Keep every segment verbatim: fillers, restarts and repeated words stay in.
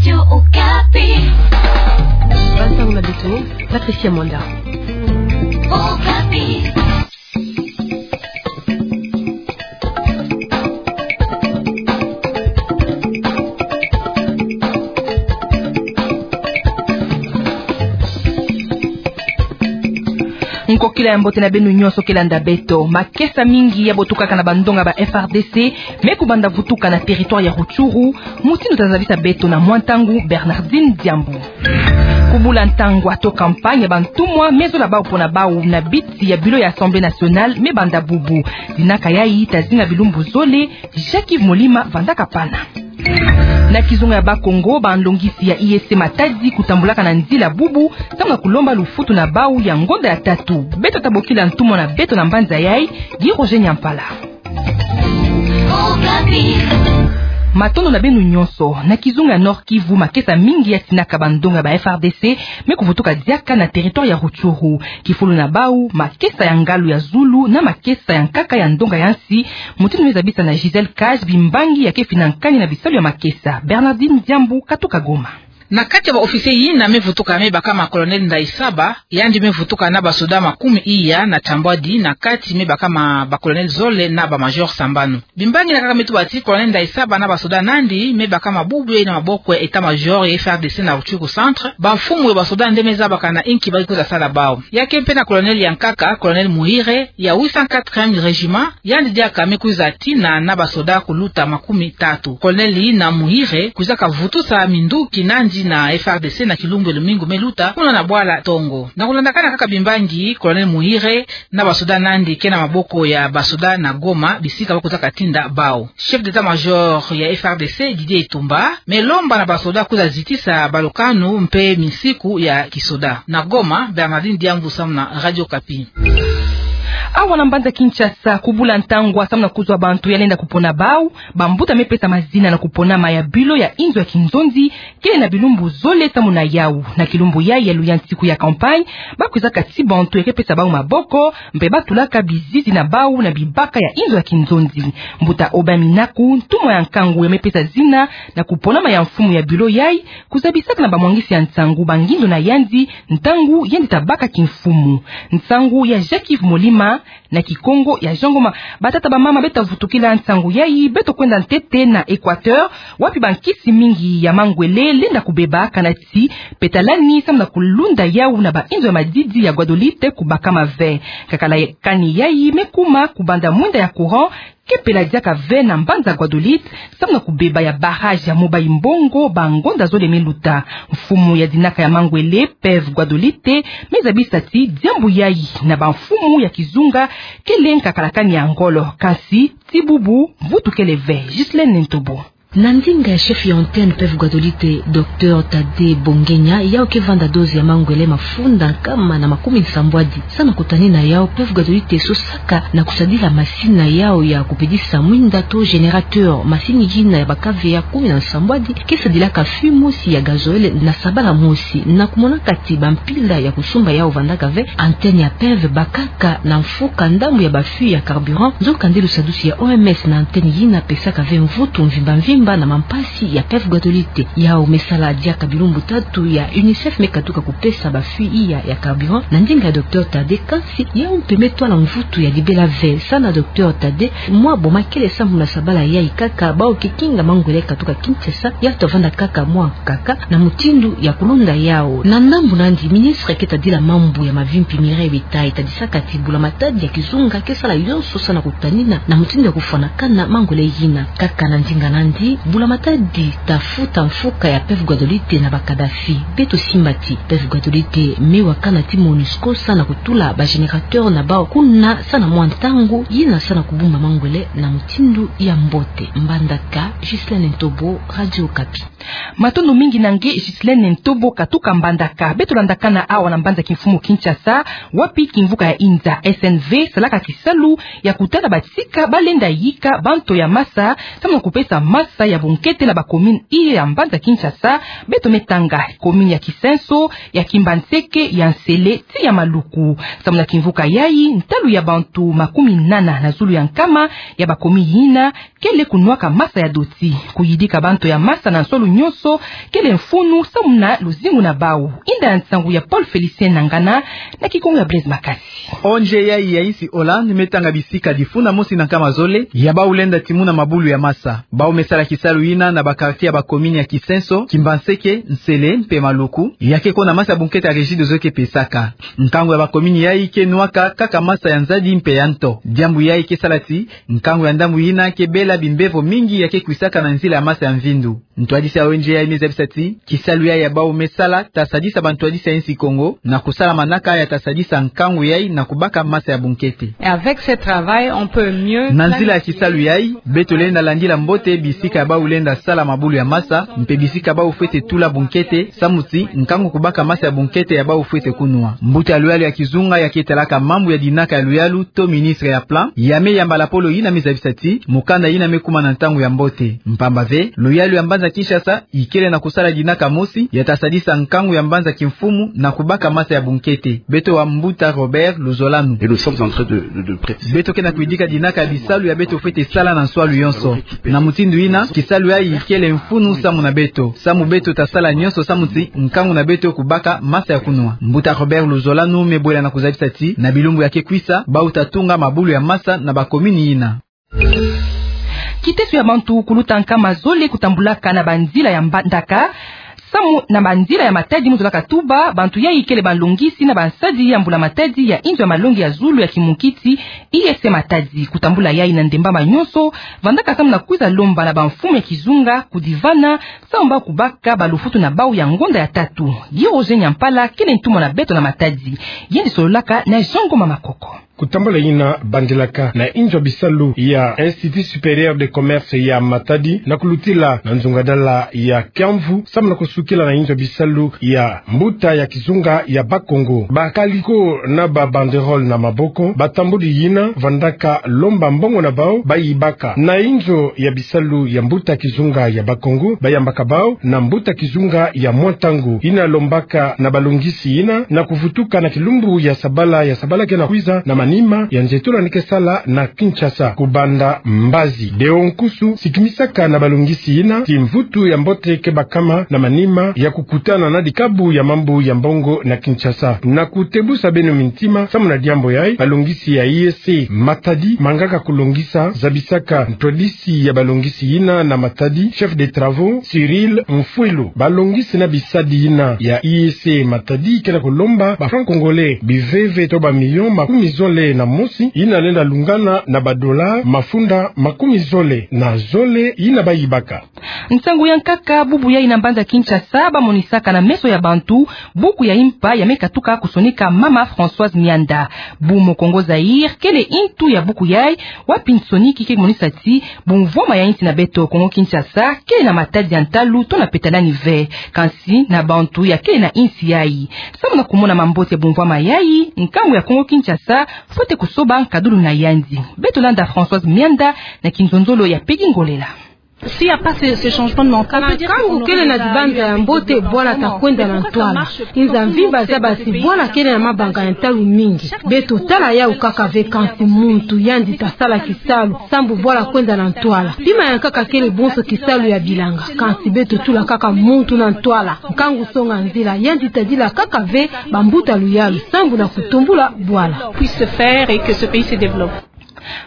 Radio Okapi. Bansango na beto, Patricia Mwanda. Okapi. Nkokila ya mbote na beno nyonso ke landa beto. Makesa mingi ya botukaka na bandonga ba F R D C me kubanda vutuka na territoire ya Rutshuru, mutindu tazabisa beto na mwa ntangu Bernardine Diambu. Kubula ntangwa to campagne ya bantumwa me zola bau pona bau na biti ya bureau ya Assemblée nationale me banda bubu. Dinaka yayi tazinga bilumbu zole, Jacques Yves Molima vandaka pana. Na kizunga ya Bakongo, banlongisi ya I E C Matadi kutambulaka na nzila bubu, samu na kulomba lufutu na bau ya ngonda ya tatu. Beto tabokila ntumwa na beto na mbanza yayi, Guy Roger Nyampala. Matondo na beno nyonso. Na kizunga ya Nord-Kivu, makesa mingi ya tinaka bandonga ba F R D C me kuvutuka diaka na territoire ya Rutshuru. Kifulu na bau, makesa ya ngalu ya zulu na makesa ya nkaka ya ndonga ya nsi, mutindu me zabisa na Gisèle Cage bimbangi ya ke finankani na bisalu ya makesa. Bernardine Diambu katuka Goma. Na kati ya ba officier yina me vutuka me baka ma Colonel Ndayisaba, yandi me vutuka na basoda makumi iya na tambwadi, na kati me baka ma ba colonel zole na ba major sambanu. Bimbangi na nkaka me tuba ti Colonel Ndayisaba na basoda nandi me baka ma bubu yayi na maboko ya état-major ya F R D C na Rutshuru Centre, bamfumu ya basoda nde me zabaka na inki ba ke kwiza sala bau. Ya ke mpe na colonel ya nkaka, Colonel Muhire, ya huit cent quatrième régiment, yandi diaka me kwiza tina na basoda kuluta makumi tatu. Colonel yina Muhire kwizaka vutusa minduki nandi na F R D C na kilumbu ya lumingu me luta kuna na bwala Tongo. Na kulandakana kaka bimbangi, Colonel Muhire na basoda nandi ke na maboko ya basoda na Goma, bisika ba kwizaka tinda bau. Chef d'état-major ya F R D C, Didier Itumba, me lomba na basoda kwiza zitisa balukanu mpe minsiku ya kisoda. Na Goma, Bernardine Diambu samu na Radio Okapi. Awa na mbanza Kinshasa, kubula ntangwa samu na kuzwa bantu ya lenda kupona bau. Bambuta me pesa mazina na kuponama ya bureau ya inzo ya kinzonzi, kele na bilumbu zole samu na yau. Na kilumbu yayi ya luyantiku ya campagne, ba kwizaka tii bantu ya ke pesa bau maboko, mpe ba tulaka bizizi na bau na bibaka ya inzo ya kinzonzi. Mbuta Aubin Minaku, ntumwa ya nkangu ya me pesa zina na kuponama ya mfumu ya bureau yayi, kuzabisaka na bamwangisi ya nsangu bangindu na yandi, ntangu yandi tabaka kimfumu. Nsangu ya Jacques Yves Molima, na Kikongo ya Jean Ngoma. Batata, bamama, beto vutukila nsangu yayi, beto kwenda ntete na Équateur, wapi bankisi mingi ya mangwele lenda kubeba, kana ti pe talani samu na kulunda yau na bainzo ya madidi ya Guadeloupe kubakama ve. Kakala kani yayi me kuma kubanda mwinda ya courant ke pela diaka ve na mbanza Guadeloupe, samu na kubeba ya barrage ya Mobayi-Mbongo bangonda zole me luta. Mfumu ya dinaka ya mangwele, P E V Guadeloupe, me zabisa ti diambu yayi na bamfumu ya kizunga kele nkakala kani ya ngolo, kasi ti bubu mvutu kele ve. Ghislaine Ntobo. Na ndinga ya chef ya antenne P E V Guadeloupe, Docteur Tade Bongenya, yau ke vanda dose ya mangwele mafunda nkama na makumi nsambwadi. Samu na kutanina yau, P E V Guadeloupe sosaka na kusadila masini na yau ya kupedisa mwinda to générateur. Masini yina ya bakave ya kumi na nsambwadi ke sadilaka fût mosi ya gazoil na sabala mosi. Na kumonaka ti bampila ya kusumba yau vandaka ve, antenne ya P E V bakaka na mfuka ndambu ya bafût ya carburant. Nzokande lusadusi ya O M S na antenne yina pesaka ve mvutu mvimba mvimba na mampasi ya P E V Guadeloupe. Yau me sala diaka bilumbu tatu ya UNICEF me katuka kupesa bafût iya ya carburant. Na ndinga ya Docteur Tade, kansi yau mpe me twala mvutu ya libela ve. Samu na Docteur Tade, mwa boma kele sambu na sabala yayi kaka bau ke kinga mangwele katuka Kinshasa, yau ta vanda kaka mwa nkaka na mutindu ya kulunda yau. Na ndambu nandi, ministre ke tadila mambu ya mavimpi, Mireille Betaille, tadisaka ti bula matadi ya kizunga ke sala yonso samu na kutanina na mutindu ya kufwanakana mangwele yina. Kaka na ndinga nandi, bula matadi tafuta mfuka ya P E V Guadeloupe na ba Kadhafi. Beto simba ti P E V Guadeloupe me wakana ti MONUSCO samu na kutula ba générateur na bau kuna samu na mwa ntangu yina samu na kubumba mangwele na mutindu ya mbote. Mbandaka, Ghislaine Ntobo, Radio Okapi. Matondo mingi na nge Ghislaine Ntobo katuka Mbandaka. Beto landakana awa na mbanza kimfumu Kinshasa, wapi kimvuka ya inza S N V salaka kisalu ya kutala batika ba lenda yika banto ya masa, samu na kupesa masa masa ya bunkete na bakomini iye ya mbanza Kinshasa, beto me tanga komini ya Kisenso, ya Kimbanseke, ya Nsele, ti ya Maluku. Samu na kimvuka yayi, ntalu ya bantu makumi nana na zulu ya nkama ya bakomini yina kele kunwaka masa ya doti. Kuyidika bantu ya masa na nswalu nyonso kele mfunu samu na luzingu na bau. Inda ya nsangu ya Paul Félicien Nangana, na kikongo ya Blaise Makasi. O nje yayi ya insi Hollande me tanga bisika difuna mosi na nkama zole ya bau lenda timuna mabulu ya masa. Bau me sala kisalu yina na ba quartier ya bakomini ya Kisenso, Kimbanseke, Nsele mpe Maluku, ya ke ko na masa ya bunkete ya Regideso ke pesaka. Nkangu ya bakomini yayi ke nwaka kaka masa ya nzadi mpe ya nto. Diambu yayi ke sala ti nkangu ya ndambu yina ke bela bimbevo mingi ya ke kwisaka na nzila ya masa ya mvindu. Ntwadisi ya O N G yayi me zabisa ti kisalu yayi ya bau me sala ta sadisa bantwadisi ya insi Kongo na kusala manaka ya ta sadisa nkangu yayi na kubaka masa ya bunkete. Et avec ce travail, on peut mieux... Na nzila ya kisalu yayi, beto lenda landila mbote bisika ya bau lenda sala mabulu ya masa, mpe bisika bau fwete tula bunkete, samu ti nkangu kubaka masa ya bunkete ya bau fwete kunwa. Mbuta ya luyalu ya kizunga ya ke talaka mambu ya dinaka ya luyalu to ministre ya plan, ya me yamba lapolo yina me zabisa ti mukanda yina me kuma na ntangu ya mbote. Mpamba ve, luyalu ya mbanza Kinshasa ikele na kusala dinaka mosi ya ta sadisa nkangu ya mbanza kimfumu na kubaka masa ya bunkete. Beto wa mbuta Robert Luzolanu. Et nous sommes en train de, de, de préparer. Beto ke na kuyidika dinaka ya bisalu ya beto fwete sala na nswalu yonso. Na mutindu yina, kisalu yayi ikele mfunu samu na beto. Samu beto ta sala nyonso samu ti nkangu na beto kubaka masa ya kunwa. Mbuta Robert Luzolanu me bwela na kuzabisa ti na bilumbu ya ke kwisa, bau ta tunga mabulu ya masa na bakomini yina. Kiteso ya bantu kuluta nkama zole kutambulaka na banzila ya mbandaka, samu na banzila ya Matadi mu zolaka tuba, bantu yayi kele balongisi na bansadi ya mbula-matadi ya inzo ya malongi ya zulu ya kimukiti, I S C Matadi. Kutambula yayi na ndemba ma nyonso, vandaka samu na kwiza lomba na bamfumu ya kizunga kudivana, samu bau kubaka balufutu na bau ya ngonda ya tatu. Guy Roger Nyampala kele ntumwa na beto na Matadi. Yandi sololaka na Jean Ngoma Makoko. Kutambula yina bandilaka na inzo ya bisalu ya Institut Supérieur de Commerce ya Matadi na kulutila na nzungadala ya Kiamvu, samu na kusukila na inzo ya bisalu ya mbuta ya kizunga ya Bakongo. Bakali ko na ba banderole na maboko, batambuli yina vandaka lomba mbongo na bau bayibaka na inzo ya bisalu ya mbuta kizunga ya Bakongo, bayambaka bau na mbuta kizunga ya mwa ntangu. Yina lombaka na balongisi yina na kuvutuka na kilumbu ya sabala, ya sabala ke na kwiza, na manima ya nzietolo yina ke sala na Kinshasa, kubanda mbazi. Deo Nkusu sikimisaka na balongisi yina ti mvutu ya mbote ke bakama na manima ya kukutana na dikabu ya mambu ya mbongo na Kinshasa. Na kutebusa beno mintima samu na diambu yayi, balongisi ya I S C Matadi mangaka kulongisa, zabisaka ntwadisi ya balongisi yina na Matadi, chef de travaux, Cyril Mfwilu. Balongisi na bisadi yina ya I S C Matadi ke na kulomba ba francs congolais biveve to ba millions makumi zole na mosi, yina lenda lungana na ba dollars mafunda makumi zole na zole yina bayibaka. Nsangu ya nkaka, bubu yayi na mbanza Kinshasa bamonisaka na meso ya bantu buku ya impa ya me katuka kusonika mama Françoise Mianda. Bumu Kongo Zaïre kele intu ya buku yayi, wapi nsoniki ke monisa ti bumvwama ya insi na beto Kongo Kinshasa kele na Matadi ya ntalu to na peta lani ve, kansi na bantu ya kele na insi yayi. Samu na kumona mambote ya bumvwama yayi, nkangu ya Kongo Kinshasa fwete kusoba nkadulu na yandi. Beto landa Françoise Mianda na kinzonzolo ya Peggy Ngolela. S'il y a pas ce, ce changement de mentalité, na nkangu kele na dibanza ya mbote, bwala ta kwenda na ntwala. Inza mvimba zaba ti bwala kele na mabanga ya ntalu mingi. Beto tala yawu kaka ve, kansi muntu yandi ta sala kisalu, sambu bwala kwenda na ntwala. Pima ya nkaka kele bonso kisalu ya bilanga, kansi beto tula kaka muntu na ntwala. Nkangu songa nzila, yandi ta dila kaka ve bambuta luyalu, sambu na kutumbula bwala. Puisse se faire et que ce pays se développe.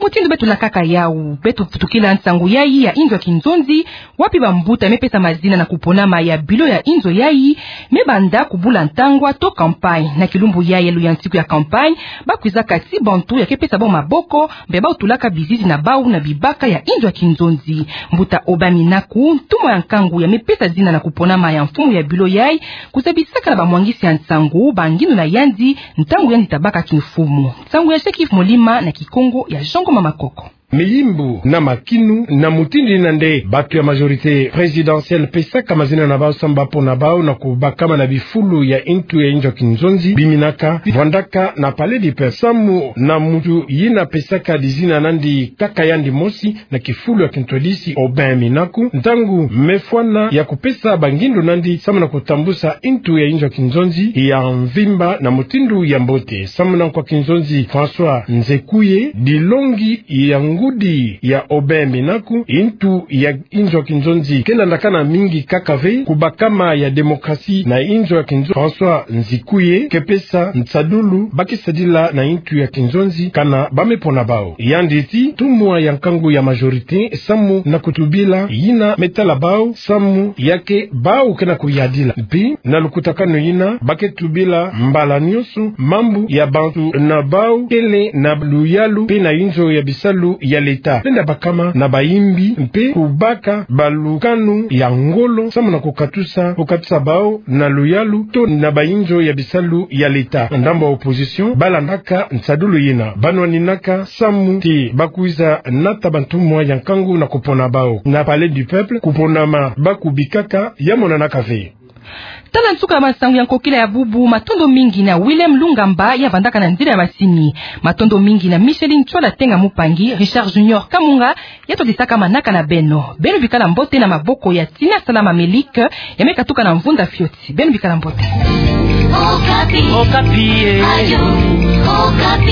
Mutindu beto lakaka yawu, beto vutukila nsangu yayi ya inzo ya kinzonzi, wapi bambuta me pesa mazina na kuponama ya bilo ya inzo yayi me banda kubula ntangwa to campagne. Na kilumbu yayi ya luyantiku ya campagne, bakwizaka ti bantu ya ke pesa bau maboko, mpe bau tulaka bizizi na bau na bibaka ya inzo ya kinzonzi. Mbuta Obami Naku, ntumwa ya nkangu ya me pesa zina na kuponama ya mfumu ya bilo yayi, kuzabisaka na bamwangisi ya nsangu bangindu na yandi ntangu yandi ta baka kimfumu. Nsangu ya Jacques Molima na Kikongo ya Jean Ngoma Makoko. miyimbu na makinu, na mutindu ina nde bantu ya majorité présidentielle pesaka mazina na bau samu bapona bau na kubakama na bifulu ya ntu ya inzo ya kinzonzi biminaka, vandaka na Palais du Peuple samu na muntu yina pesaka dizina nandi kaka yandi mosi na kifulu ya kintwadisi Aubin Minaku, ntangu mefwana ya kupesa bangindu nandi samu na kutambusa ntu ya inzo ya kinzonzi ya mvimba na mutindu ya mbote. Samu na nkwa kinzonzi François Nzekuye, dilongi ya ngudi ya Aubin Minaku, ntu ya inzo ya kinzonzi ke landakana mingi kaka ve, kubakama ya démocratie na inzo ya kinzonzi. François Nzekuye ke pesa nsadulu ba ke sadila na ntu ya kinzonzi kana ba mepona bau. Yandi ti ntumwa ya nkangu ya majorité samu na kutubila yina metala bau samu ya ke bau ke na kuyadila. Mpi na lukutakanu yina ba ke tubila mbala nyonso mambu ya bantu na bau kele na luyalu mpe na inzo ya bisalu ya leta, lenda bakama na bayimbi mpe kubaka balukanu ya ngolo samu na kukatusa, kukatusa bau na luyalu to na bainzo ya bisalu ya leta. Ndambu ya opposition ba landaka nsadulu yina, ba nwaninaka samu ti ba kwiza nata bantumwa ya nkangu na kupona bau na Palais du Peuple, kuponama ba kubikaka ya monanaka ve. Tala nsuka ya masangu ya nkokila ya bubu. Matondo mingi na Willem Lungamba ya vandaka na nzila ya masini. Matondo mingi na Micheline Ntsola Tenga Mupangi, Richard Junior Kamunga, ya todisaka manaka na beno. Beno bikala mbote na maboko ya Tina Salama Melik, ya me katuka na mvunda fioti. Beno bikala mbote. Okapi. Okapi, eh. Radio Okapi.